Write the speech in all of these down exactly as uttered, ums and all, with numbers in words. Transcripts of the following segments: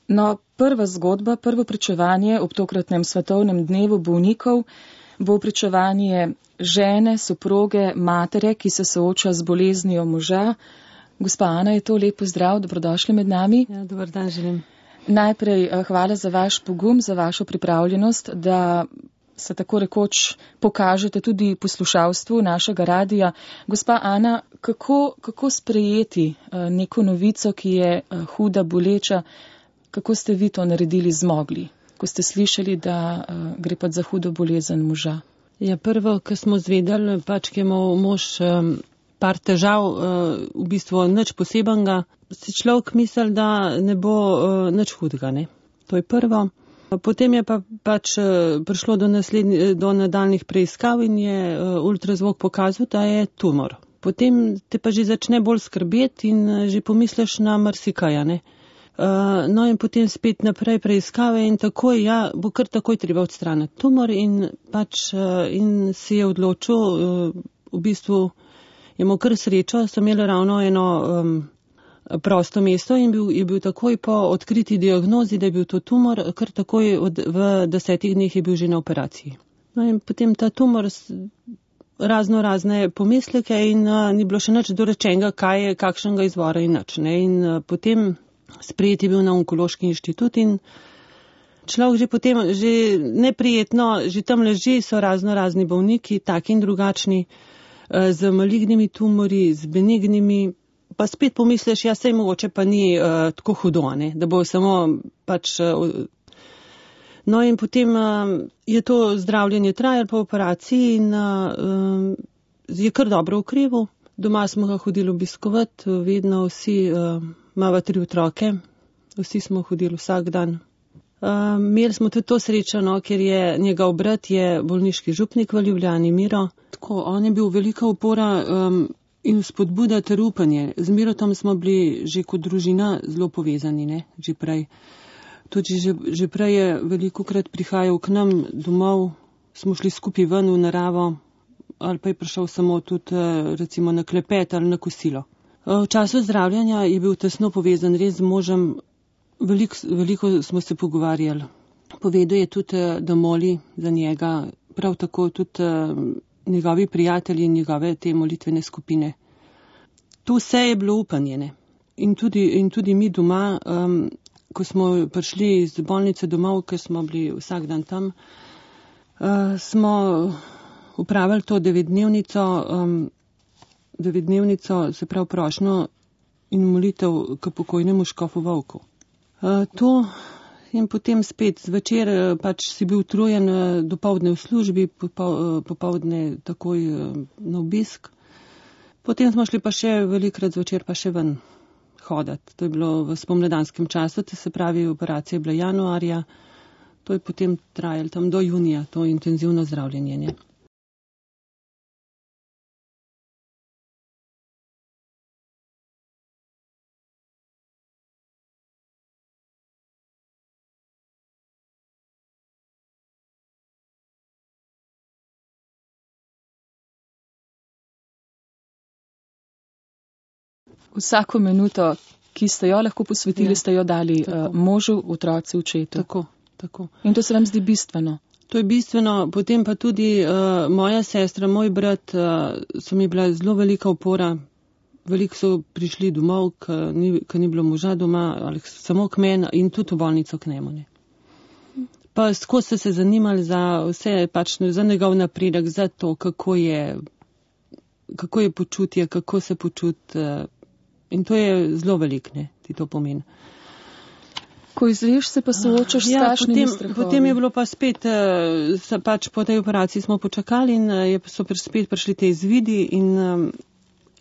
No, prva zgodba, prvo pričevanje ob tokratnem svetovnem dnevu bolnikov bo pričevanje žene, soproge, matere, ki se sooča z boleznijo moža. Gospa Ana, je to lep pozdrav, dobrodošli med nami. Ja, dober dan želim. Najprej hvala za vaš pogum, za vašo pripravljenost, da se tako rekoč pokažete tudi poslušalstvu našega radija. Gospa Ana, kako, kako sprejeti neko novico, ki je huda, boleča, kako ste vi to naredili, zmogli, ko ste slišali, da gre pa za hudo bolezen moža? Ja, prvo, ko smo zvedeli, pač, ki je imel mož um, par težav, uh, v bistvu nič posebenega, si človek misli, da ne bo uh, nič hudega, ne. To je prvo. Potem je pa pač prišlo do, do nadaljnih preiskav in je ultrazvok pokazal, da je tumor. Potem te pa že začne bolj skrbeti in že pomisliš na marsikaja, ne. No in potem spet naprej preiskave in takoj, ja, bo kar takoj treba odstraniti tumor in pač in si je odločil, v bistvu je imel kar srečo, so imeli ravno eno um, prosto mesto in bil, je bil takoj po odkriti diagnozi, da je bil to tumor, kar takoj od, v desetih dneh je bil že na operaciji. No in potem ta tumor razno razne pomisleke in uh, ni bilo še nič dorečenega, kaj je, kakšnega izvora in nič. Ne? In uh, potem sprejet je bil na onkološki inštitut in človek že potem, že neprijetno, že tam leži, so razno razni bolniki, taki in drugačni, uh, z malignimi tumori, z benignimi. Pa spet pomisliš, ja, sej mogoče pa ni uh, tako hudo, ne? Da bo samo pač. Uh, no in potem uh, je to zdravljenje trajalo po operaciji in uh, uh, je kar dobro ukreval. Doma smo ga hodili obiskovati, vedno vsi, uh, imava tri otroke, vsi smo hodili vsak dan. Uh, imeli smo tudi to srečo, no, ker je njegov brat je bolniški župnik v Ljubljani, Miro. Tako, on je bil velika opora. Um, In spodbuda ter upanje. Z Mirotom smo bili že kot družina zelo povezani, ne, že prej. Tudi že, že prej je velikokrat prihajal k nam domov, smo šli skupaj ven v naravo, ali pa je prišel samo tudi recimo na klepet ali na kosilo. V času zdravljanja je bil tesno povezan res z možem, veliko, veliko smo se pogovarjali. Povedal je tudi, da moli za njega, prav tako tudi njegovi prijatelji in njegove te molitvene skupine. Tu vse je bilo upanje, ne. In tudi, in tudi mi doma, um, ko smo prišli iz bolnice domov, ker smo bili vsak dan tam, uh, smo upravili to devetdnevnico, um, devetdnevnico, se pravi prošnjo in molitev k pokojnemu škofu Vovku. Uh, to in potem spet zvečer pač si bil utrujen, dopoldne v službi, popoldne takoj na obisk. Potem smo šli pa še velikrat zvečer pa še ven hodati. To je bilo v spomladanskem času, to se pravi operacija je bila januarja, to je potem trajalo tam do junija, to intenzivno zdravljenje. Vsako minuto, ki ste jo lahko posvetili, ja. Ste jo dali uh, možu, otroci, očetu. Tako, tako. In to se vam zdi bistveno? To je bistveno, potem pa tudi uh, moja sestra, moj brat, uh, so mi bila zelo velika opora. Veliko so prišli domov, ko ni, ni bilo moža doma, ali samo k meni in tudi v bolnico k njemu. Ne. Pa skozi so se zanimali za vse, pač za njegov napredek, za to, kako je, kako je počutje, kako se počuti. Uh, In to je zelo velik, ne, ti to pomeni. Ko izveš, se pa soočaš s strašnimi strahovi. Potem je bilo pa spet, uh, pač po tej operaciji smo počakali in uh, so spet prišli te izvidi in um,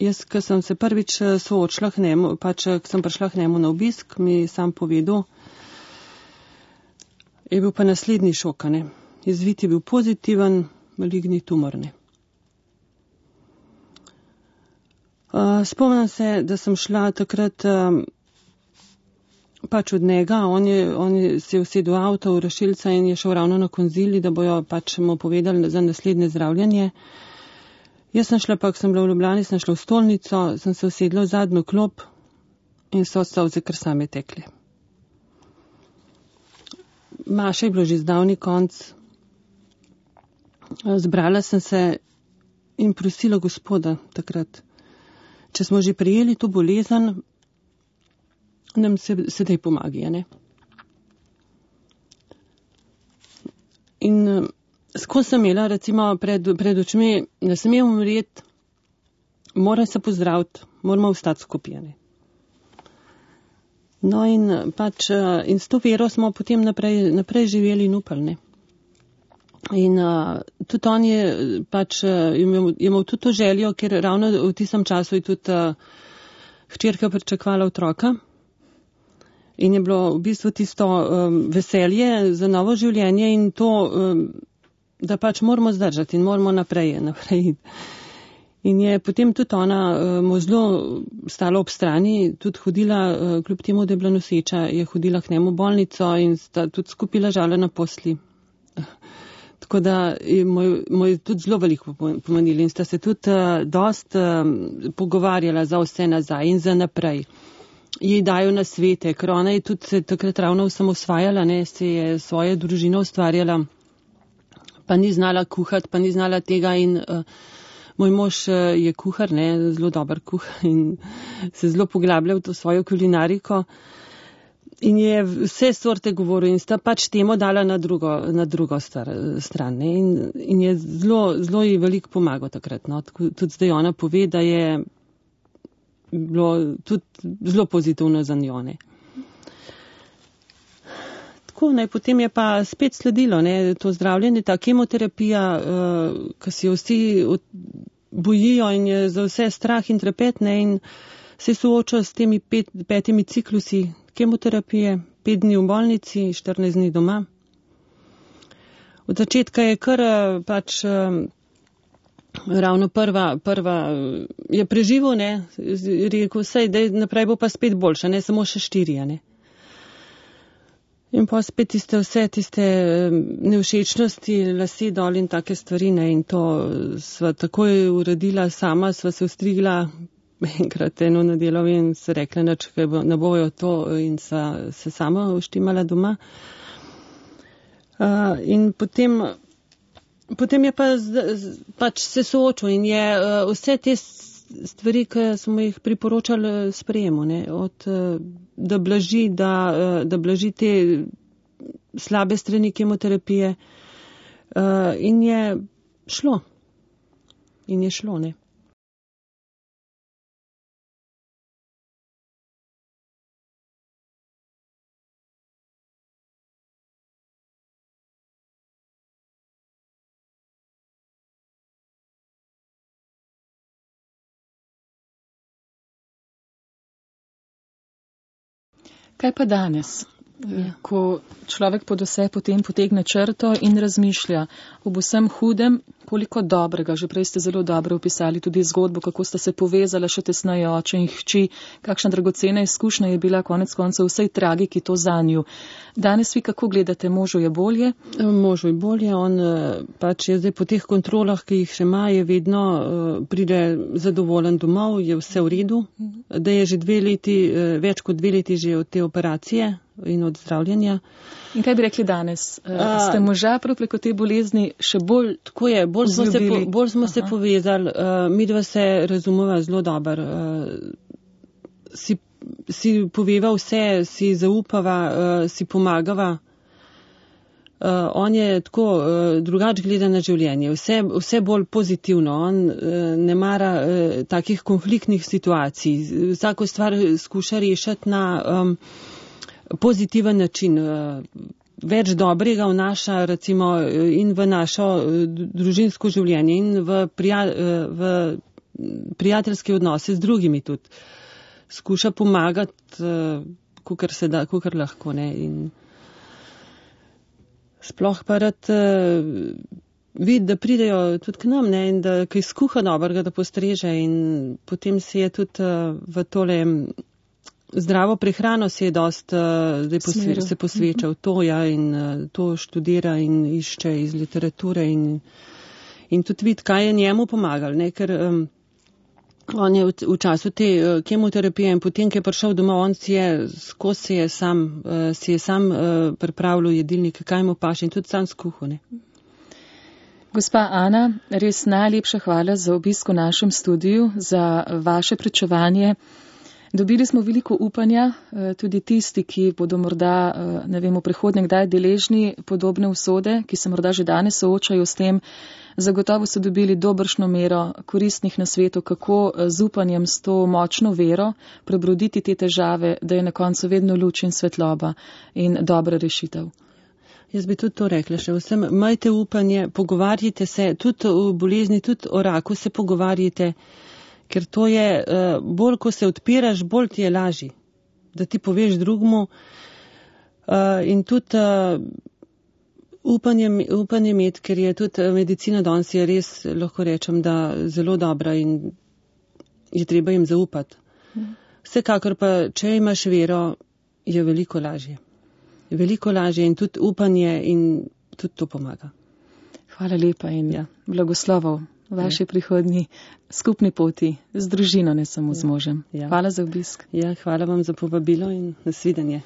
jaz, ko sem se prvič soočila k njemu, pač, ko sem prišla k njemu na obisk, mi sam povedal, je bil pa naslednji šok, ne. Izvid je bil pozitiven, maligni tumor, ne. Uh, spomnim se, da sem šla takrat um, pač od njega, on, je, on je se usedel v avto v rešilca in je šel ravno na konzili, da bojo pač mu povedali za naslednje zdravljanje. Jaz sem šla pa, ko sem bila v Ljubljani, sem šla v stolnico, sem se usedla v zadnjo klop in so solze kar same tekle. Maša je bilo že zdavni konc. Zbrala sem se in prosila Gospoda takrat, če smo že prijeli to bolezen, nam se sedaj pomagi, ne? In skozi sem imela recimo pred, pred očmi, da sem imel umret, moram se pozdraviti, moramo ostati skupaj, ne? No in pač in s to vero smo potem naprej, naprej živeli in upali, ne? In uh, tudi on je pač uh, imel, imel tudi to željo, ker ravno v tistem času je tudi uh, hčerka pričakvala otroka in je bilo v bistvu tisto um, veselje za novo življenje in to, um, da pač moramo zdržati in moramo naprej, naprej. In je potem tudi ona uh, mu zelo stala ob strani, tudi hodila, uh, kljub temu, da je bila noseča, je hodila k njemu v bolnico in sta tudi skupaj ležala na posli. Tako da je moj, moj tudi zelo veliko pomenili in sta se tudi uh, dost uh, pogovarjala za vse nazaj in za naprej. Jej dajo na svete, ker ona je tudi se takrat ravno osamosvajala, ne, se je svoje družino ustvarjala, pa ni znala kuhati, pa ni znala tega in uh, moj mož uh, je kuhar, ne, zelo dober kuhar in se zelo poglablja v to svojo kulinariko. In je vse sorte govoril in sta pač temo dala na drugo, na drugo star, stran. Ne? In, in je zelo, zelo ji veliko pomagal takrat. No? Tudi zdaj ona pove, da je bilo tudi zelo pozitivno za njo. Ne? Tako, ne, potem je pa spet sledilo ne, to zdravljenje, ta kemoterapija, uh, ki se jo vsi bojijo in je za vse strah in trepet, ne, in se sooča s temi pet, petimi ciklusi kemoterapije, pet dni v bolnici, štirinajst dni doma. Od začetka je kar pač ravno prva, prva je preživel, ne, rekel, sej, da naprej bo pa spet boljša, ne, samo še štirija, ne. In pa spet tiste vse, tiste nevšečnosti, lasi dol in take stvari, ne, in to sva takoj uredila sama, sva se ostrigla, enkrat eno nedeljo in se rekla, nič, kaj bo, ne bojo to in sa, se sama uštimala doma. Uh, in potem, potem je pa z, z, pač se soočil in je uh, vse te stvari, ki smo jih priporočali sprejemu, ne, od, uh, da blaži, da, uh, da blaži te slabe strani kemoterapije uh, in je šlo. In je šlo, ne. Kaj pa danes, ja. Ko človek pod vse potem potegne črto in razmišlja ob vsem hudem, koliko dobrega, že prej ste zelo dobro opisali tudi zgodbo, kako sta se povezala še tesneje oče in hči, kakšna dragocena izkušnja je bila konec koncev vsej tragiki to zanju. Danes vi kako gledate, možu je bolje? Možu je bolje, on pač je zdaj po teh kontrolah, ki jih še ima, je vedno pride zadovoljen domov, je vse v redu, da je že dve leti, več kot dve leti že od te operacije in od zdravljenja. In kaj bi rekli danes? A, ste moža prav preko te bolezni še bolj tako je, bolj smo se, po, bolj smo se povezali, uh, mi dva se razumeva zelo dobro. Uh, si, si poveva vse, si zaupava, uh, si pomagava. Uh, on je tako uh, drugač gleda na življenje, vse, vse bolj pozitivno. On uh, ne mara uh, takih konfliktnih situacij. Vsako stvar skuša rešiti na um, pozitiven način. Uh, več dobrega vnaša recimo in v našo družinsko življenje in v, prija, v prijateljske odnose z drugimi tudi. Skuša pomagati, kakor se da, kakor lahko, ne. In sploh pa rad vidi, da pridejo tudi k nam, ne, in da kaj skuha dobrega, da postreže in potem se je tudi v tole zdravo prehrano se je dost uh, zdaj posve, se posveča v to, ja, in uh, to študira in išče iz literature in, in tudi vidi, kaj je njemu pomagalo, ne, ker um, On je v, v času te uh, kemoterapije in potem, ko je prišel domov, on si je skozi si je sam, uh, si je sam uh, pripravljal jedilnik, kaj mu paše in tudi sam skuhal. Gospa Ana, res najlepša hvala za obisk v našem studiu, za vaše pričevanje. Dobili smo veliko upanja, tudi tisti, ki bodo morda, ne vem, v prihodnje kdaj deležni podobne usode, ki se morda že danes soočajo s tem, zagotovo so dobili dobršno mero koristnih nasvetov, kako z upanjem, s to močno vero prebroditi te težave, da je na koncu vedno luč in svetloba in dobra rešitev. Jaz bi tudi to rekla še vsem, majte upanje, pogovarjite se, tudi o bolezni, tudi o raku se pogovarjite, ker to je, bolj ko se odpiraš, bolj ti je lažji, da ti poveš drugmu in tudi upanje, upanje imeti, ker je tudi medicina danes je res, lahko rečem, da zelo dobra in je treba jim zaupati. Vsekakor pa, če imaš vero, je veliko lažje. Veliko lažje in tudi upanje in tudi to pomaga. Hvala lepa in ja. Blagoslovov v vaši ja. prihodnji skupni poti z družino, ne samo ja. z možem. Ja. Hvala za obisk. Ja, hvala vam za povabilo in nasvidenje.